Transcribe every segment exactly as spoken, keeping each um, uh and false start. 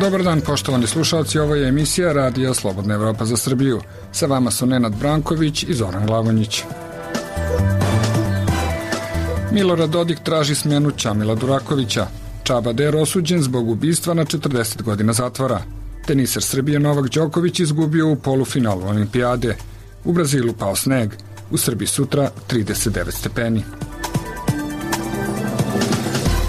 Dobar dan, poštovani slušalci, ovo je emisija Radija Slobodna Evropa za Srbiju. Sa vama su Nenad Branković i Zoran Glavonjić. Milorad Dodik traži smjenu Čamila Durakovića. Čaba Der osuđen zbog ubistva na četrdeset godina zatvora. Teniser Srbije Novak Đoković izgubio u polufinalu olimpijade. U Brazilu pao sneg. U Srbiji sutra trideset devet stepeni.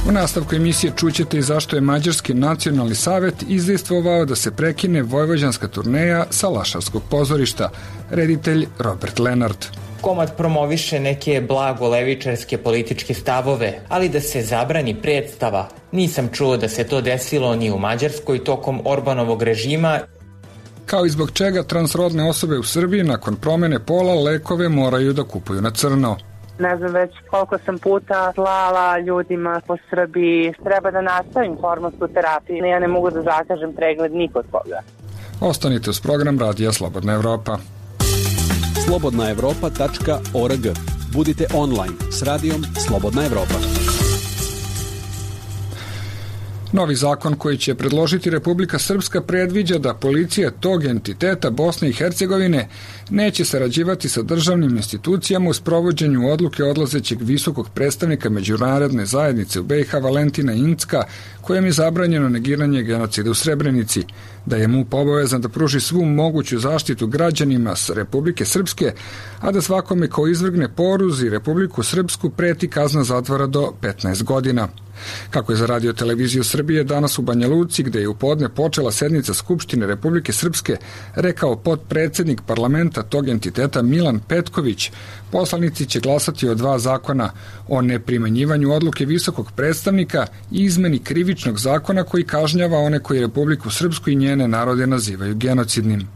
U nastavku emisije čućete i zašto je Mađarski nacionalni savet izdejstvovao da se prekine vojvođanska turneja sa Lašavskog pozorišta, reditelj Robert Lenart. Komad promoviše neke blagolevičarske političke stavove, ali da se zabrani predstava. Nisam čuo da se to desilo ni u Mađarskoj tokom Orbanovog režima. Kao i zbog čega transrodne osobe u Srbiji nakon promene pola lekove moraju da kupuju na crno. Ne znam već koliko sam puta slala ljudima po Srbiji. Treba da nastavim hormonsku terapiju. Ja ne mogu da zakažem pregled nikod koga. Ostanite uz program Radija Slobodna Evropa. slobodna evropa tačka org. Budite online s radijom Slobodna Evropa. Novi zakon koji će predložiti Republika Srpska predviđa da policija tog entiteta Bosne i Hercegovine neće sarađivati sa državnim institucijama u sprovođenju odluke odlazećeg visokog predstavnika međunarodne zajednice u B i H Valentina Incka, kojem je zabranjeno negiranje genocida u Srebrenici, da je M U P obavezan da pruži svu moguću zaštitu građanima s Republike Srpske, a da svakome ko izvrgne poruzi Republiku Srpsku preti kazna zatvora do petnaest godina. Kako je za Radio televiziju Srbije danas u Banja Luci, gde je u podne počela sednica Skupštine Republike Srpske, rekao potpredsednik parlamenta tog entiteta Milan Petković, poslanici će glasati o dva zakona, o neprimenjivanju odluke visokog predstavnika i izmeni krivičnog zakona koji kažnjava one koji Republiku Srpsku i njene narode nazivaju genocidnim.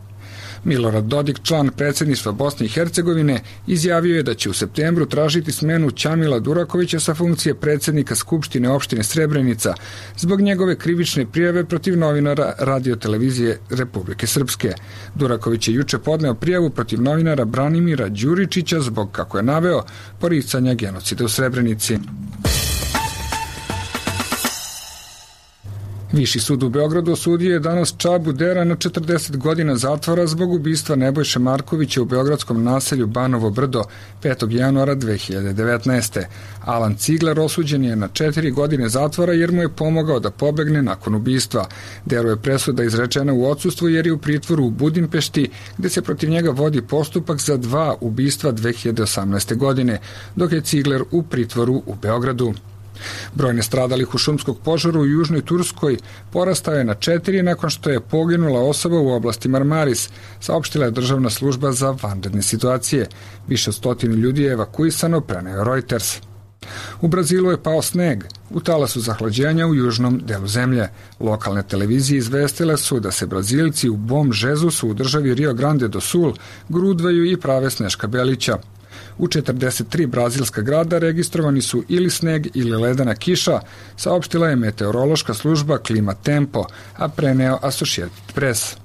Milorad Dodik, član predsjedništva Bosne i Hercegovine, izjavio je da će u septembru tražiti smenu Čamila Durakovića sa funkcije predsjednika Skupštine opštine Srebrenica zbog njegove krivične prijave protiv novinara Radio televizije Republike Srpske. Duraković je juče podneo prijavu protiv novinara Branimira Đuričića zbog, kako je naveo, poricanja genocida u Srebrenici. Viši sud u Beogradu osudio je danas Čabu Dera na četrdeset godina zatvora zbog ubistva Nebojše Markovića u beogradskom naselju Banovo Brdo petog januara dve hiljade devetnaeste. Alan Cigler osuđen je na četiri godine zatvora jer mu je pomogao da pobegne nakon ubistva. Deru je presuda izrečena u odsustvu jer je u pritvoru u Budimpešti, gde se protiv njega vodi postupak za dva ubistva dve hiljade osamnaeste. godine, dok je Cigler u pritvoru u Beogradu. Broj nastradalih u šumskog požaru u Južnoj Turskoj porastao je na četiri nakon što je poginula osoba u oblasti Marmaris, saopštila je državna služba za vanredne situacije. Više od stotinu ljudi je evakuisano, preneo Reuters. U Brazilu je pao sneg, u talasu zahlađenja u južnom delu zemlje. Lokalne televizije izvestile su da se Brazilci u Bom Žezusu u državi Rio Grande do Sul grudvaju i prave sneška belića. U četrdeset tri brazilska grada registrovani su ili sneg ili ledena kiša, saopštila je meteorološka služba Klima Tempo, a preneo Associated Press.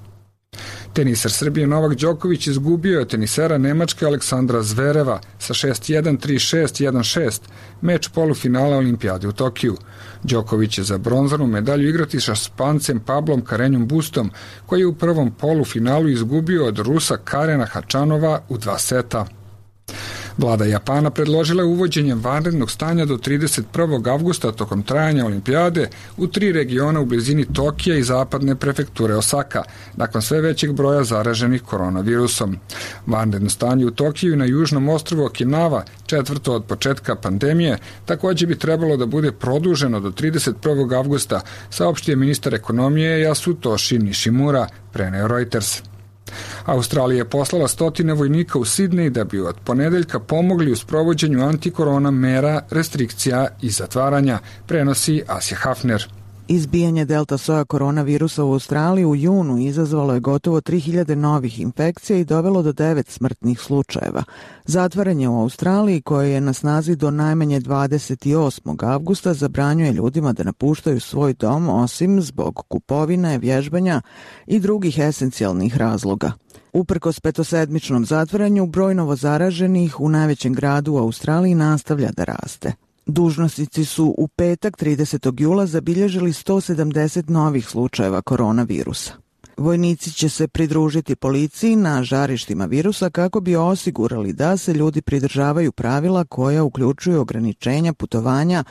Teniser Srbije Novak Đoković izgubio je tenisera Nemačke Aleksandra Zvereva sa šest jedan, tri šest, jedan šest, meč polufinala olimpijade u Tokiju. Đoković će za bronzanu medalju igrati sa Špancem Pablom Karenjom Bustom, koji je u prvom polufinalu izgubio od Rusa Karena Hačanova u dva seta. Vlada Japana predložila je uvođenje vanrednog stanja do trideset prvog avgusta tokom trajanja olimpijade u tri regiona u blizini Tokija i zapadne prefekture Osaka, nakon sve većeg broja zaraženih koronavirusom. Vanredno stanje u Tokiju i na južnom ostrvu Okinawa, četvrto od početka pandemije, također bi trebalo da bude produženo do trideset prvog avgusta, saopštio je ministar ekonomije Yasutoshi Nishimura, preneo Reuters. Australija je poslala stotine vojnika u Sidnej da bi od ponedeljka pomogli u sprovođenju antikorona mera, restrikcija i zatvaranja, prenosi Asja Hafner. Izbijanje delta soja koronavirusa u Australiji u junu izazvalo je gotovo tri hiljade novih infekcija i dovelo do devet smrtnih slučajeva. Zatvaranje u Australiji, koje je na snazi do najmanje dvadeset osmog avgusta, zabranjuje ljudima da napuštaju svoj dom osim zbog kupovine, vježbanja i drugih esencijalnih razloga. Uprkos petosedmičnom zatvaranju, broj novozaraženih u najvećem gradu u Australiji nastavlja da raste. Dužnosnici su u petak tridesetog jula zabilježili sto sedamdeset novih slučajeva koronavirusa. Vojnici će se pridružiti policiji na žarištima virusa kako bi osigurali da se ljudi pridržavaju pravila koja uključuju ograničenja putovanja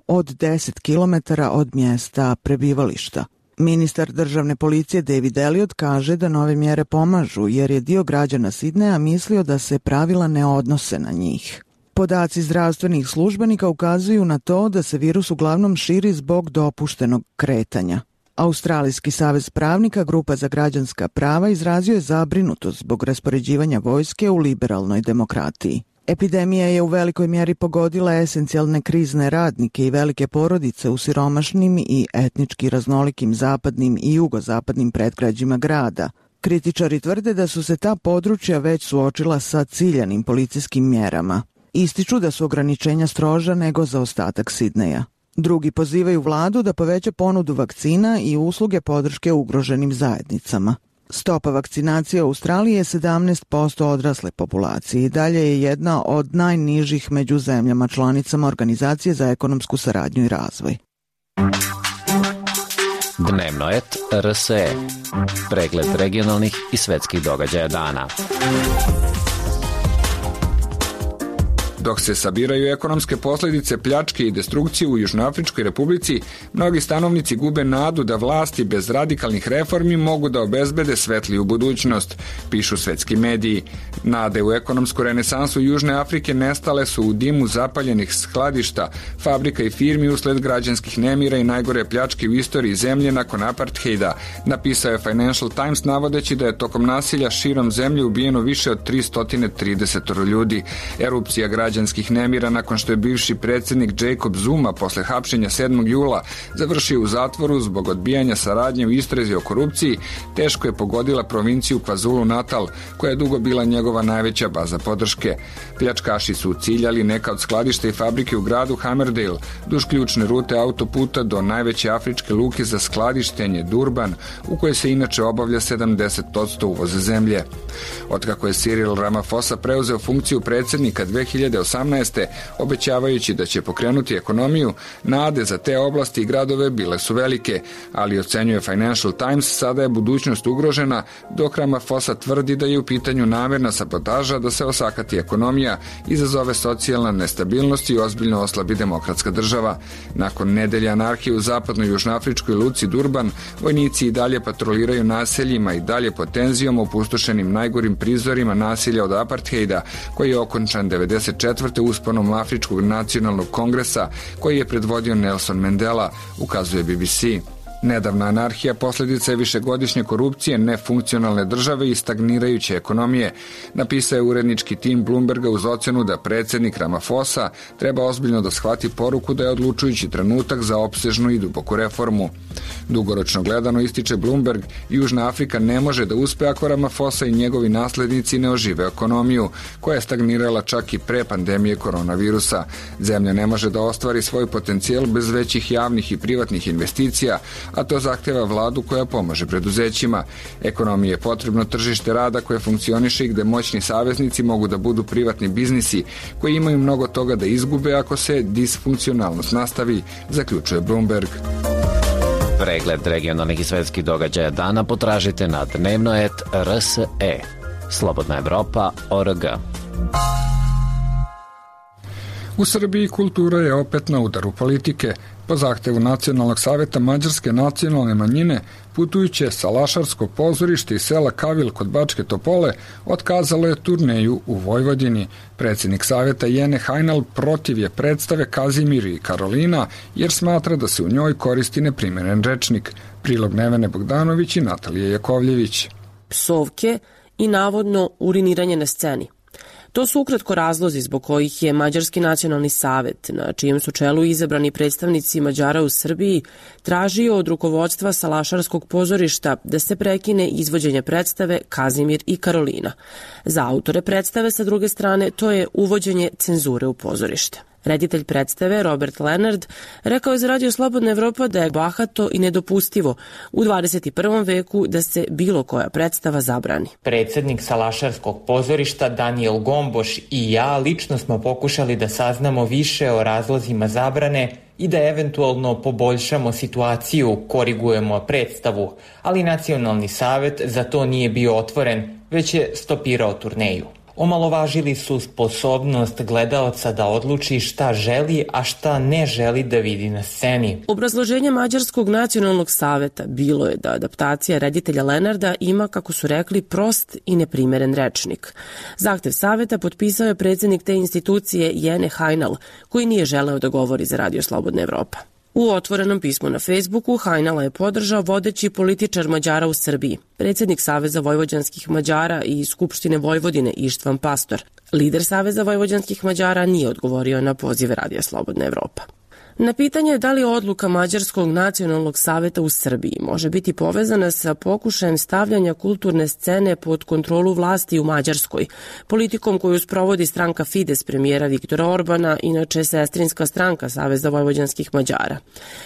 od deset kilometara od mjesta prebivališta. Ministar državne policije David Elliott kaže da nove mjere pomažu jer je dio građana Sidneja mislio da se pravila ne odnose na njih. Podaci zdravstvenih službenika ukazuju na to da se virus uglavnom širi zbog dopuštenog kretanja. Australijski savez pravnika, Grupa za građanska prava, izrazio je zabrinutost zbog raspoređivanja vojske u liberalnoj demokratiji. Epidemija je u velikoj mjeri pogodila esencijalne krizne radnike i velike porodice u siromašnim i etnički raznolikim zapadnim i jugozapadnim predgrađima grada. Kritičari tvrde da su se ta područja već suočila sa ciljanim policijskim mjerama. Ističu da su ograničenja stroža nego za ostatak Sidneja. Drugi pozivaju vladu da poveća ponudu vakcina i usluge podrške ugroženim zajednicama. Stopa vakcinacije u Australiji je sedamnaest posto odrasle populacije i dalje je jedna od najnižih među zemljama članicama Organizacije za ekonomsku saradnju i razvoj. Dnevnoet R S E. Pregled regionalnih i svetskih događaja dana. Dok se sabiraju ekonomske posljedice pljačke i destrukcije u Južnoafričkoj republici, mnogi stanovnici gube nadu da vlasti bez radikalnih reformi mogu da obezbede svetliju budućnost, pišu svetski mediji. Nade u ekonomsku renesansu Južne Afrike nestale su u dimu zapaljenih skladišta, fabrika i firmi usled građanskih nemira i najgore pljačke u istoriji zemlje nakon apartheida, napisao je Financial Times navodeći da je tokom nasilja širom zemlje ubijeno više od tristo trideset ljudi. Erupcija građanskih nemira nakon što je bivši predsjednik Jacob Zuma posle hapšenja sedmog jula završio u zatvoru zbog odbijanja saradnje u istrazi o korupciji, teško je pogodila provinciju KwaZulu Natal, koja je dugo bila njegova najveća baza podrške. Pljačkaši su ciljali neka od skladišta i fabrike u gradu Hammerdale, duž ključne rute autoputa do najveće afričke luke za skladištenje Durban, u kojoj se inače obavlja sedamdeset posto uvoza zemlje. Otkako je Cyril Ramaphosa preuzeo funkciju predsjednika dve hiljade osamnaeste. obećavajući da će pokrenuti ekonomiju, nade za te oblasti i gradove bile su velike, ali ocenjuje Financial Times, sada je budućnost ugrožena, dok Ramaphosa tvrdi da je u pitanju namerna sabotaža da se osakati ekonomija, izazove socijalna nestabilnost i ozbiljno oslabi demokratska država. Nakon nedelje anarhije u zapadnoj južnoafričkoj luci Durban, vojnici i dalje patroliraju naseljima i dalje pod tenzijom opustošenim najgorim prizorima nasilja od apartheida, koji je okončan devedeset četvrte usponom Afričkog nacionalnog kongresa koji je predvodio Nelson Mandela, ukazuje B B C. Nedavna anarhija posljedica je višegodišnje korupcije, nefunkcionalne države i stagnirajuće ekonomije, napisao je urednički tim Bloomberga uz ocenu da predsjednik Ramaphosa treba ozbiljno da shvati poruku da je odlučujući trenutak za opsežnu i duboku reformu. Dugoročno gledano, ističe Bloomberg, Južna Afrika ne može da uspe ako Ramaphosa i njegovi naslednici ne ožive ekonomiju, koja je stagnirala čak i pre pandemije koronavirusa. Zemlja ne može da ostvari svoj potencijal bez većih javnih i privatnih investicija, a to zahteva vladu koja pomaže preduzećima. Ekonomiji je potrebno tržište rada koje funkcioniše i gde moćni saveznici mogu da budu privatni biznisi koji imaju mnogo toga da izgube ako se disfunkcionalnost nastavi, zaključuje Bloomberg. Pregled regionalnih i svetskih događaja dana potražite na Dnevnoet R S E. Slobodna Evropa O R G. U Srbiji kultura je opet na udaru politike. Po zahtevu Nacionalnog saveta mađarske nacionalne manjine, putujuće Salašarsko pozorište iz sela Kavil kod Bačke Topole otkazalo je turneju u Vojvodini. Predsjednik saveta Jene Hajnal protiv je predstave Kazimir i Karolina jer smatra da se u njoj koristi neprimeren rečnik. Prilog Nevene Bogdanović i Natalije Jakovljević. Psovke i navodno uriniranje na sceni. To su ukratko razlozi zbog kojih je Mađarski nacionalni savet, na čijem su čelu izabrani predstavnici Mađara u Srbiji, tražio od rukovodstva Salašarskog pozorišta da se prekine izvođenje predstave Kazimir i Karolina. Za autore predstave, sa druge strane, to je uvođenje cenzure u pozorište. Reditelj predstave Robert Leonard rekao je za Radio Slobodna Evropa da je bahato i nedopustivo u dvadeset i prvom veku da se bilo koja predstava zabrani. Predsednik Salašarskog pozorišta Daniel Gomboš i ja lično smo pokušali da saznamo više o razlozima zabrane i da eventualno poboljšamo situaciju, korigujemo predstavu, ali Nacionalni savet za to nije bio otvoren, već je stopirao turneju. Omalovažili su sposobnost gledaoca da odluči šta želi, a šta ne želi da vidi na sceni. Obrazloženje Mađarskog nacionalnog saveta bilo je da adaptacija reditelja Lenarda ima, kako su rekli, prost i neprimeren rečnik. Zahtev saveta potpisao je predsednik te institucije Jene Hajnal, koji nije želeo da govori za Radio Slobodna Evropa. U otvorenom pismu na Facebooku Hajnala je podržao vodeći političar Mađara u Srbiji, predsednik Saveza vojvođanskih Mađara i Skupštine Vojvodine Ištvan Pastor. Lider Saveza vojvođanskih Mađara nije odgovorio na pozive Radija Slobodna Evropa. Na pitanje da li odluka Mađarskog nacionalnog saveta u Srbiji može biti povezana sa pokušajem stavljanja kulturne scene pod kontrolu vlasti u Mađarskoj, politikom koju sprovodi stranka Fides premijera Viktora Orbana, inače sestrinska stranka Saveza vojvođanskih Mađara.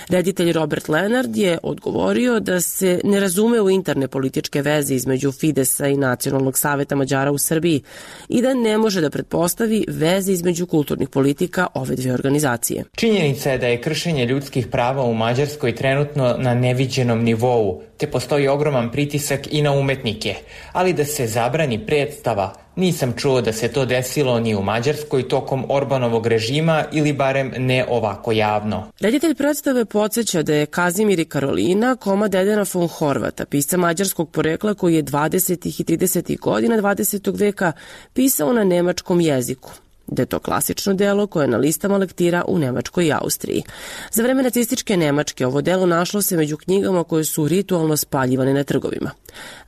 Reditelj Robert Leonard je odgovorio da se ne razume u interne političke veze između Fidesa i Nacionalnog saveta Mađara u Srbiji i da ne može da pretpostavi veze između kulturnih politika ove dve organizacije. Činjenica je da je kršenje ljudskih prava u Mađarskoj trenutno na neviđenom nivou, te postoji ogroman pritisak i na umetnike, ali da se zabrani predstava, nisam čuo da se to desilo ni u Mađarskoj tokom Orbanovog režima ili barem ne ovako javno. Reditelj predstave podsjeća da je Kazimir i Karolina komad Edena von Horvata, pisca mađarskog porekla koji je dvadesetih i tridesetih godina dvadesetog veka pisao na nemačkom jeziku, da je to klasično delo koje je na listama lektira u Nemačkoj i Austriji. Za vreme nacističke Nemačke ovo delo našlo se među knjigama koje su ritualno spaljivane na trgovima.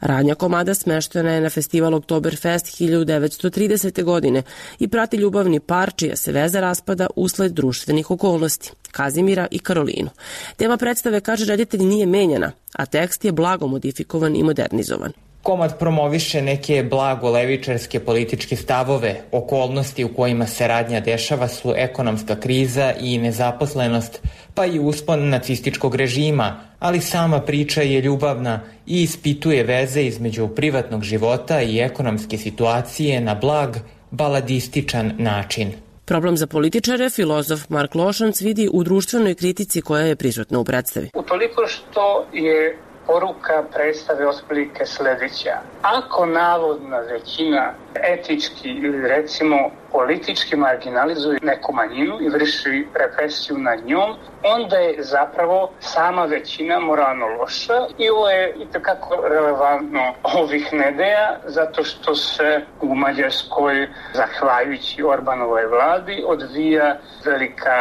Radnja komada smeštena je na festival Oktoberfest hiljadu devetsto tridesete. godine i prati ljubavni par čija se veza raspada usled društvenih okolnosti, Kazimira i Karolinu. Tema predstave, kaže reditelj, nije menjana, a tekst je blago modifikovan i modernizovan. Komad promoviše neke blago levičarske političke stavove. Okolnosti u kojima se radnja dešava su ekonomska kriza i nezaposlenost, pa i uspon nacističkog režima, ali sama priča je ljubavna i ispituje veze između privatnog života i ekonomske situacije na blag, baladističan način. Problem za političare filozof Mark Lošanc vidi u društvenoj kritici koja je prisutna u predstavi. Utoliko što je poruka predstave otprilike sledeća. Ako navodna većina etički ili recimo politički marginalizuje neku manjinu i vrši represiju nad njom, onda je zapravo sama većina moralno loša i ovo je itekako relevantno ovih nedelja zato što se u Mađarskoj, zahvaljujući Orbanovoj vladi, odvija velika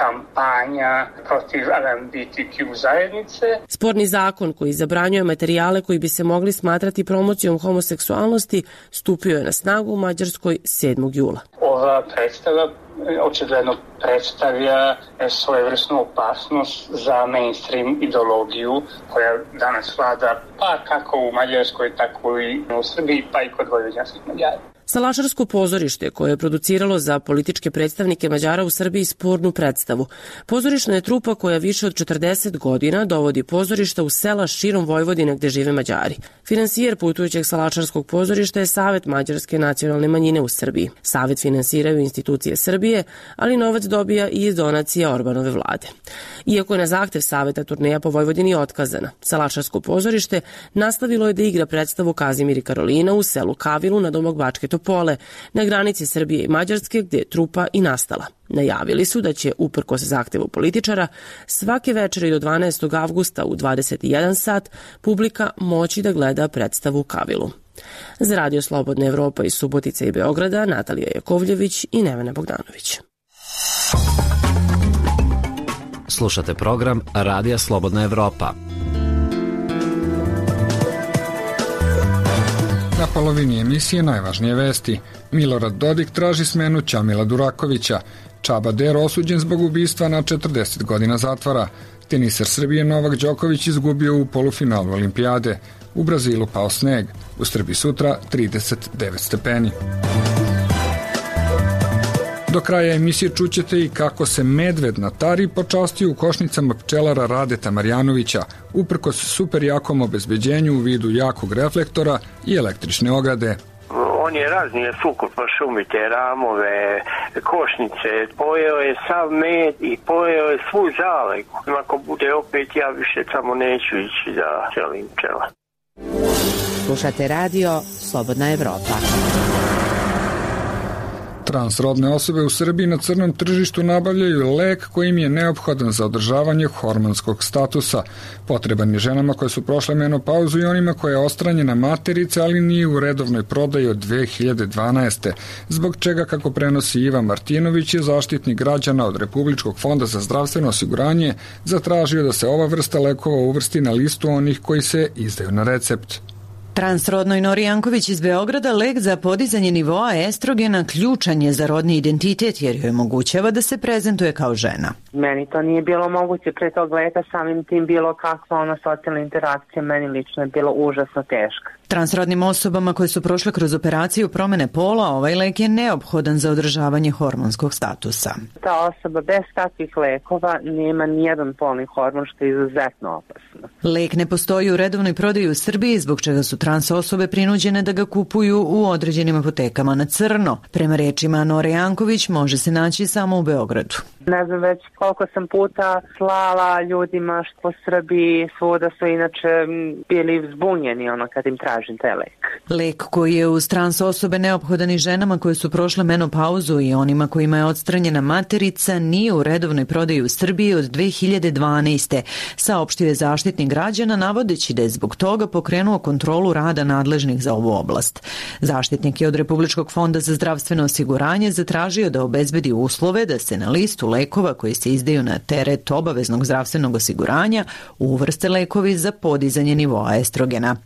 kampanja protiv L G B T Q zajednice. Sporni zakon koji zabranjuje materijale koji bi se mogli smatrati promocijom homoseksualnosti stupio je na snagu u Mađarskoj sedmog jula. Ova predstava očigledno predstavlja svojevrsnu opasnost za mainstream ideologiju koja danas vlada pa kako u Mađarskoj, tako i u Srbiji, pa i kod vojvođanskih Mađara. Salašarsko pozorište, koje je produciralo za političke predstavnike Mađara u Srbiji spornu predstavu. Pozorišna je trupa koja više od četrdeset godina dovodi pozorišta u sela širom Vojvodine gde žive Mađari. Finansijer putujućeg Salašarskog pozorišta je Savet mađarske nacionalne manjine u Srbiji. Savet finansiraju institucije Srbije, ali novac dobija i iz donacija Orbanove vlade. Iako je na zahtev Saveta turneja po Vojvodini otkazana, Salašarsko pozorište nastavilo je da igra predstavu Kazimir i Karolina u selu Kavilu na domak Bačke Topole, na granici Srbije i Mađarske, gde je trupa i nastala. Najavili su da će, uprkos zahtevu političara, svake večeri do dvanaestog avgusta u dvadeset jedan sat publika moći da gleda predstavu Kavilu. Za Radio Slobodna Evropa iz Subotice i Beograda, Natalija Jakovljević i Nevena Bogdanović. Slušate program Radija Slobodna Evropa. Na polovini emisije najvažnije vesti. Milorad Dodik traži smenu Ćamila Durakovića. Čaba Der osuđen zbog ubistva na četrdeset godina zatvora. Teniser Srbije Novak Đoković izgubio u polufinalu olimpijade. U Brazilu pao sneg. U Srbiji sutra trideset devet stepeni. Do kraja emisije čućete i kako se medved na Tari počastio u košnicama pčelara Radeta Marjanovića, uprkos super jakom obezbeđenju u vidu jakog reflektora i električne ograde. On je raznije sukup po šumi, te ramove, košnice, pojeo je sav med i pojeo je svu zaleku. Ako bude opet, ja više samo neću ići da želim pčela. Slušate radio Slobodna Evropa. Transrodne osobe u Srbiji na crnom tržištu nabavljaju lek kojim je neophodan za održavanje hormonskog statusa. Potreban je ženama koje su prošle menopauzu i onima koja je ostranjena materica, ali nije u redovnoj prodaji od dve hiljade dvanaeste. Zbog čega, kako prenosi Ivan Martinović, je zaštitnik građana od Republičkog fonda za zdravstveno osiguranje zatražio da se ova vrsta lekova uvrsti na listu onih koji se izdaju na recept. Transrodnoj Nori Janković iz Beograda lek za podizanje nivoa estrogena ključan je za rodni identitet jer joj omogućava da se prezentuje kao žena. Meni to nije bilo moguće pre tog leka, samim tim bilo kakva ona socijalna interakcija meni lično je bilo užasno teška. Transrodnim osobama koje su prošle kroz operaciju promene pola, ovaj lek je neophodan za održavanje hormonskog statusa. Ta osoba bez takvih lekova nema nijedan polni hormon, što je izuzetno opasno. Lek ne postoji u redovnoj prodaji u Srbiji, zbog čega su trans osobe prinuđene da ga kupuju u određenim apotekama na crno. Prema rečima Nore Janković, može se naći samo u Beogradu. Ne znam već koliko sam puta slala ljudima što po Srbiji, svuda su inače bili zbunjeni ono kad im tražim taj lek. Lek koji je uz trans osobe neophodan i ženama koje su prošle menopauzu i onima kojima je odstranjena materica nije u redovnoj prodaji u Srbiji od dve hiljade dvanaeste. Saopštio je zaštitnik građana navodeći da je zbog toga pokrenuo kontrolu rada nadležnih za ovu oblast. Zaštitnik je od Republičkog fonda za zdravstveno osiguranje zatražio da obezbedi uslove da se na listu lekova koji se izdaju na teret obaveznog zdravstvenog osiguranja uvrste lekovi za podizanje nivoa estrogena.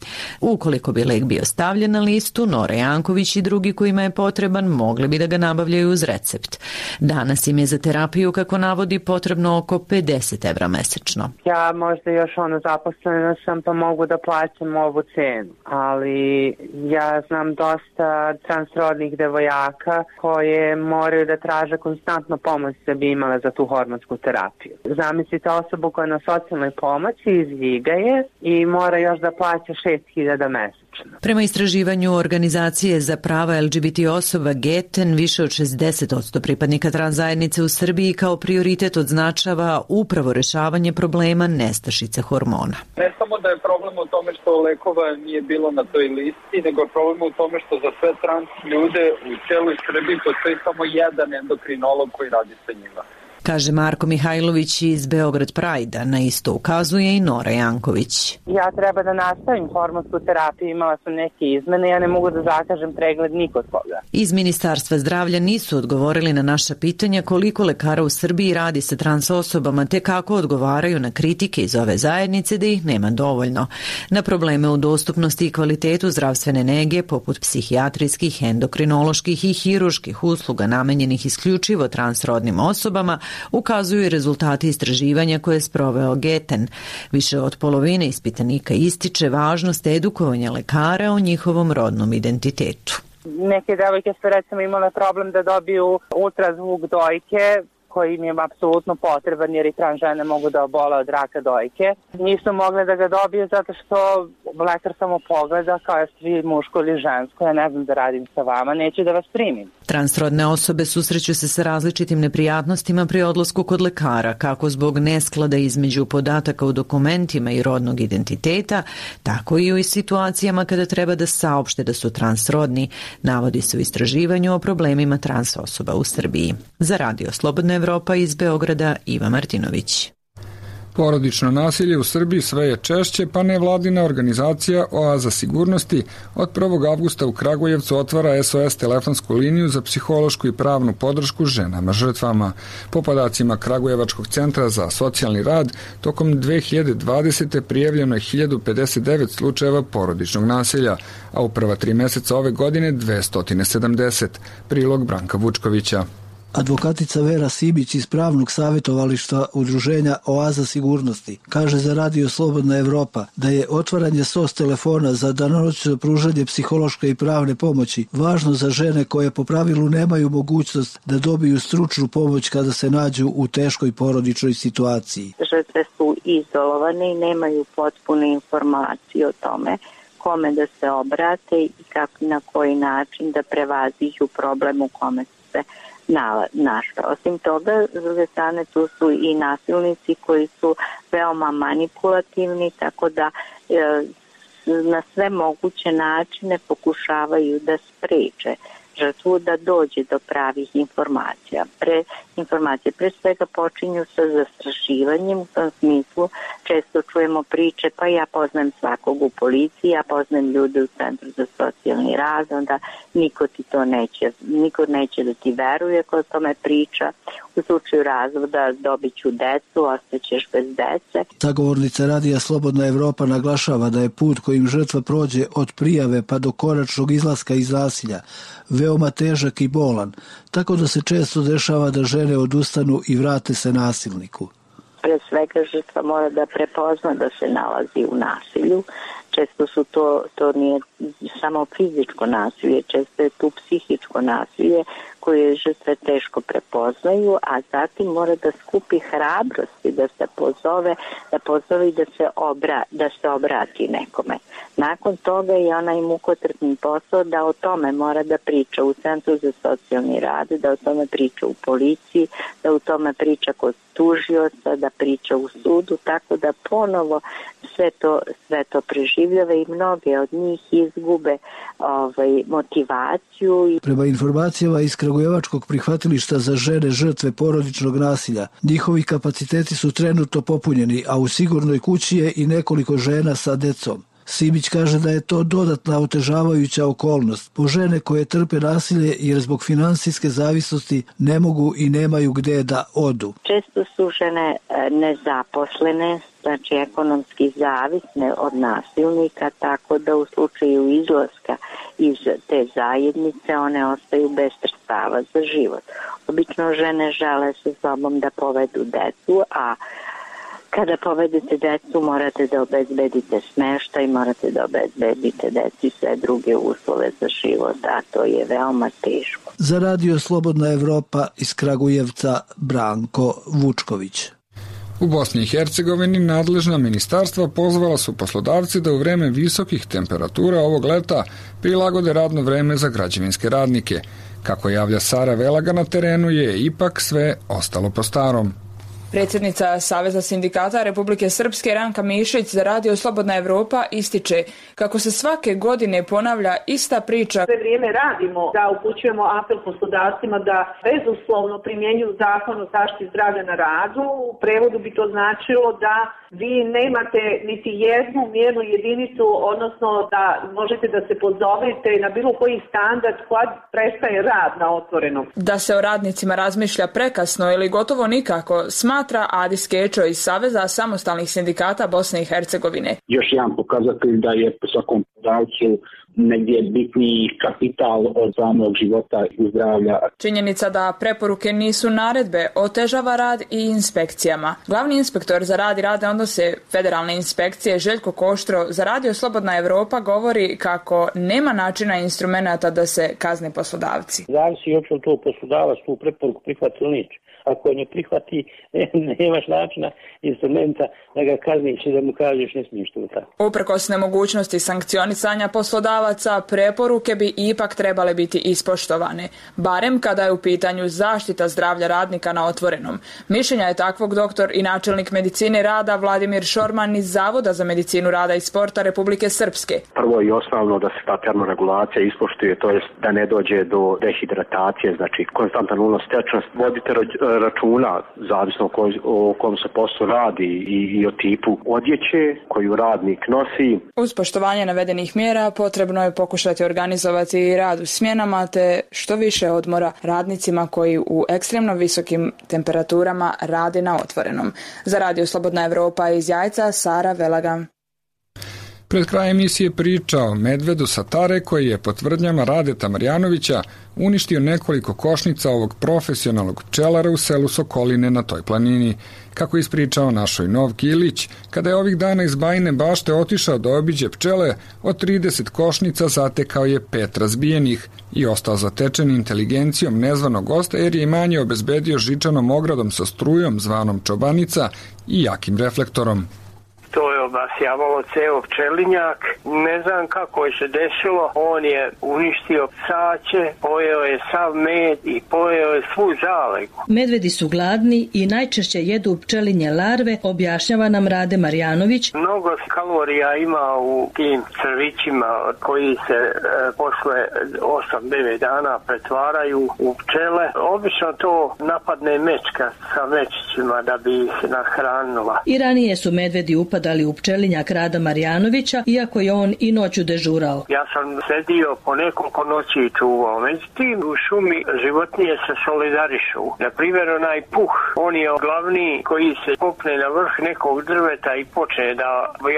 Ukoliko bi lek bio stavljen na listu, Nora Janković i drugi kojima je potreban mogli bi da ga nabavljaju uz recept. Danas im je za terapiju, kako navodi, potrebno oko pedeset evra mesečno. Ja možda još ono zaposlena sam pa mogu da plaćam ovu cenu, ali ja znam dosta transrodnih devojaka koje moraju da traže konstantno pomoć da bi imale za tu hormonsku terapiju. Zamislite osobu koja je na socijalnoj pomoći, izviga je i mora još da plaća šest hiljada mesečno. Prema istraživanju organizacije za prava el ge be te osoba Geten, više od šezdeset posto pripadnika trans zajednice u Srbiji kao prioritet odznačava upravo rešavanje problema nestašice hormona. Ne samo da je problem u tome što lekova nije bilo na toj listi, nego je problem u tome što za sve trans ljude u cijeloj Srbiji postoji samo jedan endokrinolog koji radi sa njima. Kaže Marko Mihajlović iz Beograd Prajda, na isto ukazuje i Nora Janković. Ja treba da nastavim hormonsku terapiju, imala sam neke izmene, ja ne mogu da zakažem pregled nikod koga. Iz Ministarstva zdravlja nisu odgovorili na naša pitanja koliko lekara u Srbiji radi sa trans osobama, te kako odgovaraju na kritike iz ove zajednice da ih nema dovoljno. Na probleme u dostupnosti i kvalitetu zdravstvene nege, poput psihijatrijskih, endokrinoloških i hiruških usluga namenjenih isključivo transrodnim osobama, ukazuju i rezultati istraživanja koje je sproveo Geten. Više od polovine ispitanika ističe važnost edukovanja lekara o njihovom rodnom identitetu. Neke devojke su recimo imale problem da dobiju ultrazvuk dojke, koji im je apsolutno potreban jer i trans žene mogu da obole od raka dojke. Nisu mogle da ga dobiju zato što lekar samo pogleda kao je svi muško ili žensko, ja ne znam da radim sa vama, neću da vas primim. Transrodne osobe susreću se sa različitim neprijatnostima pri odlasku kod lekara, kako zbog nesklada između podataka u dokumentima i rodnog identiteta, tako i u situacijama kada treba da saopšte da su transrodni, navodi se u istraživanju o problemima trans osoba u Srbiji. Za Radio Slobodna Evropa iz Beograda, Iva Martinović. Porodično nasilje u Srbiji sve je češće, pa nevladina organizacija Oaza sigurnosti od prvog avgusta u Kragujevcu otvara es o es telefonsku liniju za psihološku i pravnu podršku ženama žrtvama. Po podacima Kragujevačkog centra za socijalni rad, tokom dve hiljade dvadesete prijavljeno je hiljadu pedeset devet slučajeva porodičnog nasilja, a u prva tri meseca ove godine dvesta sedamdeset. Prilog Branka Vučkovića. Advokatica Vera Sibić iz pravnog savjetovališta udruženja Oaza sigurnosti kaže za Radio Slobodna Evropa da je otvaranje S O S telefona za danonoćno pružanje psihološke i pravne pomoći važno za žene koje po pravilu nemaju mogućnost da dobiju stručnu pomoć kada se nađu u teškoj porodičnoj situaciji. Žrtve su izolovane i nemaju potpune informacije o tome kome da se obrate i kako, na koji način da prevaziđu problem u kome su se našle. Osim toga, s druge strane, tu su i nasilnici koji su veoma manipulativni, tako da e, na sve moguće načine pokušavaju da spreče žrtvu da dođe do pravih informacija. Pre, informacije pre svega počinju sa zastrašivanjem, u tom smislu često čujemo priče, pa ja poznajem svakog u policiji, ja poznajem ljude u Centru za socijalni rad, onda niko ti to neće, niko neće da ti veruje ko o tome priča. U slučaju razvoda dobit ću decu, ostaćeš bez dece. Sagovornica Radija Slobodna Evropa naglašava da je put kojim žrtva prođe od prijave pa do konačnog izlaska iz nasilja veoma težak i bolan, tako da se često dešava da žene odustanu i vrate se nasilniku. Pre svega žrtva mora da prepozna da se nalazi u nasilju. Često su to, to nije samo fizičko nasilje, često je tu psihičko nasilje koje žrtve teško prepoznaju, a zatim mora da skupi hrabrosti, da se pozove, da pozove i da se, obra, da se obrati nekome. Nakon toga je onaj mukotrpni posao da o tome mora da priča u Centru za socijalni rad, da o tome priča u policiji, da o tome priča kod tužioca, da priča u sudu, tako da ponovo sve to, sve to preživljava i mnoge od njih izgube ovaj, motivaciju. Prema informacijama iz Kragujevačkog prihvatilišta za žene žrtve porodičnog nasilja, njihovi kapaciteti su trenutno popunjeni, a u sigurnoj kući je i nekoliko žena sa decom. Sibić kaže da je to dodatna otežavajuća okolnost po žene koje trpe nasilje jer zbog finansijske zavisnosti ne mogu i nemaju gde da odu. Često su žene nezaposlene, znači ekonomski zavisne od nasilnika, tako da u slučaju izlaska iz te zajednice one ostaju bez sredstava za život. Obično žene žele sa sobom da povedu decu, a kada povedete decu morate da obezbedite smeštaj, morate da obezbedite deci sve druge uslove za život, a to je veoma teško. Za Radio Slobodna Evropa iz Kragujevca Branko Vučković. U Bosni i Hercegovini nadležna ministarstva pozvala su poslodavci da u vreme visokih temperatura ovog leta prilagode radno vreme za građevinske radnike. Kako javlja Sara Velaga, na terenu je ipak sve ostalo po starom. Predsjednica Saveza sindikata Republike Srpske Ranka Mišić za Radio Slobodna Evropa ističe kako se svake godine ponavlja ista priča. Sve vrijeme radimo da upućujemo apel poslodavcima da bezuslovno primjenjuju zakon o zaštiti zdravlja na radu. U prevodu bi to značilo da vi nemate niti jednu mjernu jedinicu, odnosno da možete da se pozovete na bilo koji standard kad prestaje rad na otvorenom. Da se o radnicima razmišlja prekasno ili gotovo nikako, smatra Adis Kečo iz Saveza samostalnih sindikata Bosne i Hercegovine. Još jedan pokazatelj da je po svakom poslodavcu negdje bitniji kapital od samog života i zdravlja. Činjenica da preporuke nisu naredbe otežava rad i inspekcijama. Glavni inspektor za rad i radne odnose Federalne inspekcije Željko Koštro za Radio Slobodna Evropa govori kako nema načina instrumenata da se kazne poslodavci. Zavisi uopće od tog poslodavac tu preporuku prihvati ili neće. Ako je ne prihvati, nemaš načina, instrumenta da ga kazniš i da mu kažeš ne smiješ to tako. Uprkos nemogućnosti sankcionisanja poslodavaca, preporuke bi ipak trebale biti ispoštovane, barem kada je u pitanju zaštita zdravlja radnika na otvorenom. Mišljenja je takvog doktor i načelnik medicine rada Vladimir Šorman iz Zavoda za medicinu rada i sporta Republike Srpske. Prvo i osnovno da se ta termoregulacija ispoštuje, to jest da ne dođe do dehidratacije, znači konstantan unos tečnosti. Vodite računa, zavisno o, koj, o kom se poslu radi i, i o tipu odjeće koju radnik nosi. Uz poštovanje navedenih mjera potrebno je pokušati organizovati rad u smjenama te što više odmora radnicima koji u ekstremno visokim temperaturama rade na otvorenom. Za Radio Slobodna Evropa iz Jajca, Sara Velaga. Pred krajem emisije priča o medvedu sa Tare koji je po tvrdnjama Radeta Marjanovića uništio nekoliko košnica ovog profesionalnog pčelara u selu Sokoline na toj planini. Kako je ispričao našoj Novki Ilić, kada je ovih dana iz Bajine Bašte otišao da obiđe pčele, od trideset košnica zatekao je pet razbijenih i ostao zatečen inteligencijom nezvanog gosta jer je imanje obezbedio žičanom ogradom sa strujom zvanom čobanica i jakim reflektorom. To je obasjavalo ceo pčelinjak. Ne znam kako je se desilo. On je uništio psaće, pojeo je sav med i pojeo je svu zalegu. Medvedi su gladni i najčešće jedu pčelinje larve, objašnjava nam Rade Marjanović. Mnogo kalorija ima u tim crvićima koji se e, posle osam devet dana pretvaraju u pčele. Obično to napadne mečka sa mečićima da bi ih nahranila. I ranije su medvedi upadali dali u pčelinjak Rada Marjanovića, iako je on i noću dežurao. Ja sam sedio po nekoliko noći i čuvao. Međutim, u šumi životinje se solidarišu. Na primjer, onaj puh, on je glavni koji se popne na vrh nekog drveta i počne da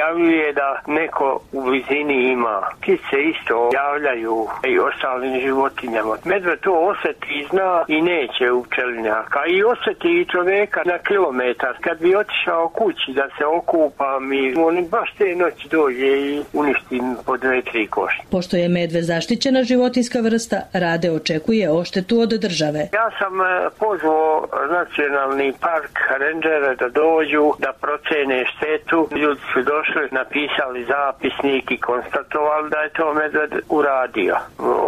javljuje da neko u blizini ima. Ptice isto javljaju i ostalim životinjama. Medved to osjeti i zna i neće u pčelinjak. A i osjeti i čovjeka na kilometar. Kad bi otišao kući da se okupa, mi on baš te noći dođe i uništi po dve, tri košnje. Pošto je medved zaštićena životinska vrsta, Rade očekuje odštetu od države. Ja sam pozvao nacionalni park rendžere da dođu, da procene štetu. Ljudi su došli, napisali zapisnik i konstatovali da je to medved uradio.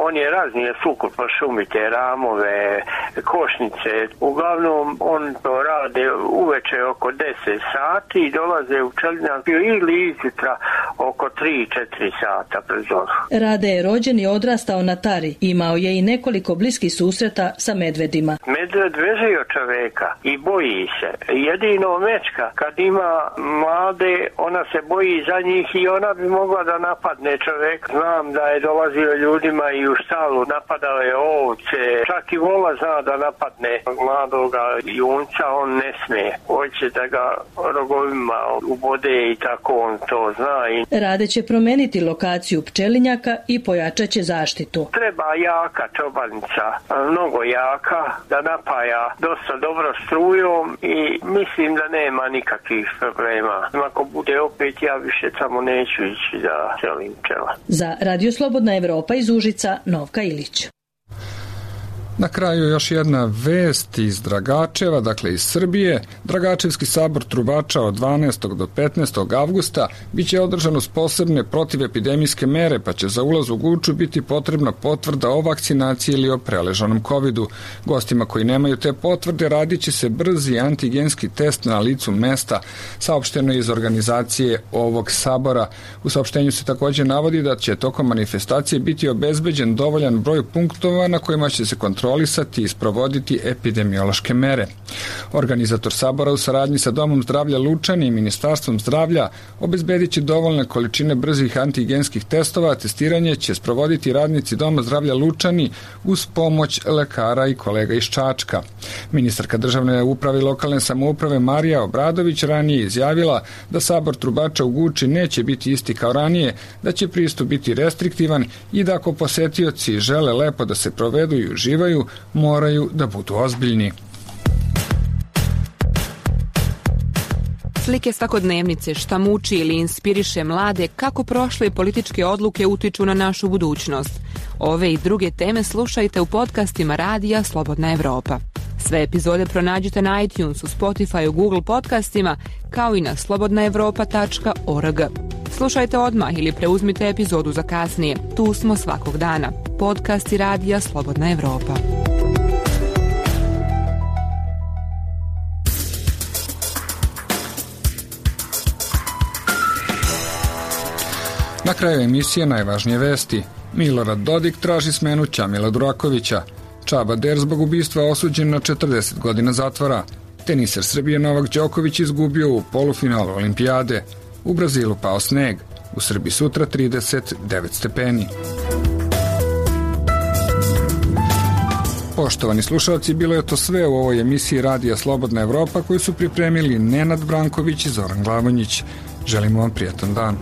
On je raznije sukup po šumi, te ramove, košnice. Uglavnom on to rade uveče oko deset sati i dolaze u pčelinjak ili izjutra oko tri četiri sata pred zoru. Rade je rođen i odrastao na Tari. Imao je i nekoliko bliskih susreta sa medvedima. Medved veže od čoveka i boji se. Jedino mečka, kad ima mlade, ona se boji za njih i ona bi mogla da napadne čoveka. Znam da je dolazio ljudima i u štalu, napadao je ovce. Čak i vola zna da napadne mladoga junca, on ne smije. Hoće da ga rogovima ubode i tako on to zna. Rade će promeniti lokaciju pčelinjaka i pojačat će zaštitu. Treba jaka čobanica, mnogo jaka, da napaja dosta dobro strujom i mislim da nema nikakvih problema. Ako bude opet, ja više samo neću ići da celim pčela. Za Radio Slobodna Evropa iz Užica, Novka Ilić. Na kraju još jedna vest iz Dragačeva, dakle iz Srbije. Dragačevski sabor trubača od dvanaestog do petnaestog avgusta biće održan uz posebne protivepidemijske mere, pa će za ulaz u Guču biti potrebna potvrda o vakcinaciji ili o preležanom kovidu. Gostima koji nemaju te potvrde radit će se brzi antigenski test na licu mesta, saopšteno iz organizacije ovog sabora. U saopštenju se također navodi da će tokom manifestacije biti obezbeđen dovoljan broj punktova na kojima će se kontrolisati kontrolisati i sprovoditi epidemiološke mere. Organizator sabora u saradnji sa Domom zdravlja Lučani i Ministarstvom zdravlja obezbedit će dovoljne količine brzih antigenskih testova, a testiranje će sprovoditi radnici Doma zdravlja Lučani uz pomoć lekara i kolega iz Čačka. Ministarka državne uprave i lokalne samouprave Marija Obradović ranije izjavila da sabor trubača u Guči neće biti isti kao ranije, da će pristup biti restriktivan i da ako posetioci žele lepo da se provedu i uživaju, moraju da budu ozbiljni. Slike svakodnevnice, šta muči ili inspiriše mlade, kako prošle političke odluke utiču na našu budućnost. Ove i druge teme slušajte u podcastima Radija Slobodna Evropa. Sve epizode pronađite na iTunesu, Spotify, Google podcastima, kao i na slobodna evropa tačka org. Slušajte odmah ili preuzmite epizodu za kasnije. Tu smo svakog dana. Podcasti Radija Slobodna Evropa. Na kraju emisije najvažnije vesti. Milorad Dodik traži smenu Ćamila Durakovića. Čaba Der zbog ubistva osuđen na četrdeset godina zatvora. Teniser Srbije Novak Đoković izgubio u polufinalu olimpijade. U Brazilu pao sneg. U Srbiji sutra trideset devet stepeni. Poštovani slušalci, bilo je to sve u ovoj emisiji Radija Slobodna Evropa koju su pripremili Nenad Branković i Zoran Glavonjić. Želimo vam prijatan dan.